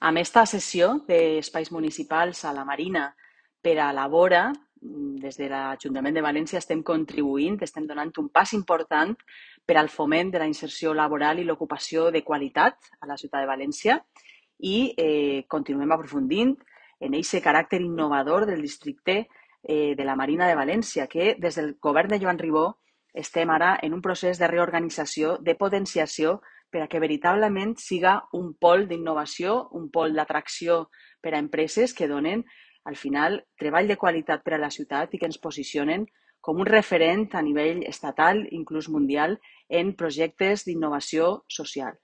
Amb esta cessió d'espais municipals a la Marina per a la vora, des de l'Ajuntament de València estem contribuint, estem donant un pas important per al foment de la inserció laboral i l'ocupació de qualitat a la ciutat de València i continuem aprofundint en aquest caràcter innovador del districte de la Marina de València, que des del govern de Joan Ribó estem ara en un procés de reorganització, de potenciació, per a que veritablement siga un pol d'innovació, un pol d'atracció per a empreses que donen, al final, treball de qualitat per a la ciutat i que ens posicionen com un referent a nivell estatal, inclús mundial, en projectes d'innovació social.